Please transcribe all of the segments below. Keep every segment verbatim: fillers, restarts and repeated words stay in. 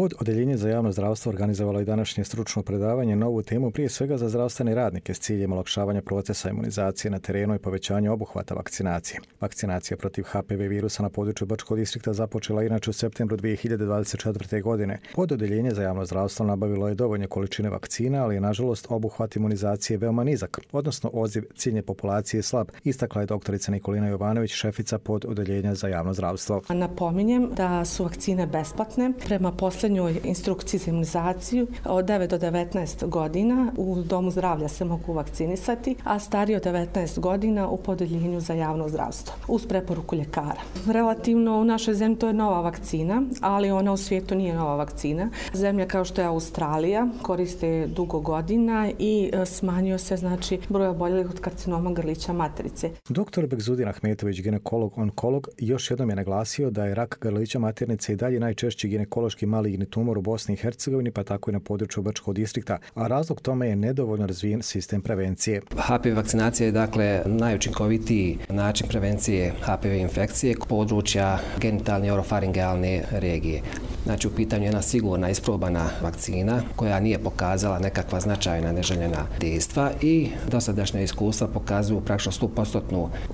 Pod Odeljenje za javno zdravstvo organizovalo je današnje stručno predavanje na ovu temu, prije svega za zdravstvene radnike s ciljem olakšavanja procesa imunizacije na terenu i povećanja obuhvata vakcinacije. Vakcinacija protiv H P V virusa na području Bačkog distrikta započela inače u septembru dvije hiljade dvadeset četvrte. godine. Pod Odeljenje za javno zdravstvo nabavilo je dovoljne količine vakcina, ali je nažalost obuhvat imunizacije veoma nizak, odnosno odziv ciljne populacije je slab, istakla je doktorica Nikolina Jovanović, šefica Pod Odeljenja za javno zdravstvo. Napominjem da su vakcine besplatne prema poslednjoj instrukciji za imunizaciju od devet do devetnaest godina u domu zdravlja se mogu vakcinisati, a stariji od devetnaest godina u Podeljenju za javno zdravstvo uz preporuku ljekara. Relativno u našoj zemlji to je nova vakcina, ali ona u svijetu nije nova vakcina. Zemlja kao što je Australija koriste dugo godina i smanjio se znači broj oboljelih od karcinoma grlića materice. Doktor Begzudin Ahmetović, ginekolog onkolog, još jednom je naglasio da je rak grlića maternice i dalje najčešći ginekološki maligni tumor u Bosni i Hercegovini, pa tako i na području Bačkog distrikta, a razlog tome je nedovoljno razvijen sistem prevencije. H P V vakcinacija je dakle najučinkovitiji način prevencije H P V infekcije područja genitalne i orofaringealne regije. Znači u pitanju je jedna sigurna isprobana vakcina koja nije pokazala nekakva značajna neželjena dejstva i dosadašnja iskustva pokazuju praktično sto posto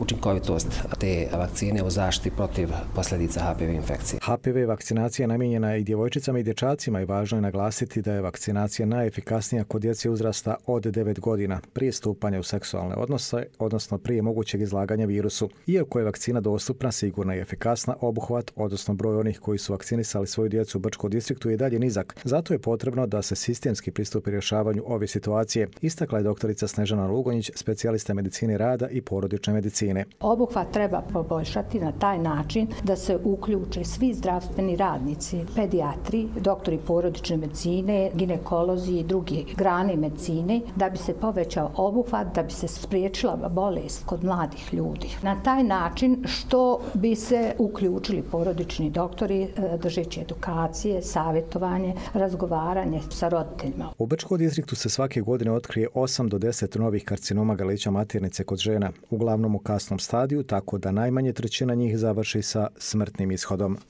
učinkovitost te vakcine u zaštiti protiv posljedica H P V infekcije. H P V vakcinacija namijenjena je i djevojčicama i dječacima i važno je naglasiti da je vakcinacija najefikasnija kod djece uzrasta od devet godina prije stupanja u seksualne odnose, odnosno prije mogućeg izlaganja virusu. Iako je vakcina dostupna, sigurna i efikasna, obuhvat, odnosno broj onih koji su vakcinisali svoju djecu u Bačkom distriktu je dalje nizak. Zato je potrebno da se sistemski pristupi rješavanju ove situacije, istakla je doktorica Snežana Lugonjić, specijalista medicine rada i porodične medicine. Obuhvat treba poboljšati na taj način da se uključe svi zdravstveni radnici, pedijatri, doktori porodične medicine, ginekolozi i druge grane medicine, da bi se povećao obuhvat, da bi se spriječila bolest kod mladih ljudi. Na taj način što bi se uključili porodični doktori držeći edukacije, savjetovanje, razgovaranje sa roditeljima. U Bačkom distriktu se svake godine otkrije osam do deset novih karcinoma grlića maternice kod žena, uglavnom u kasnom stadiju, tako da najmanje trećina njih završi sa smrtnim ishodom.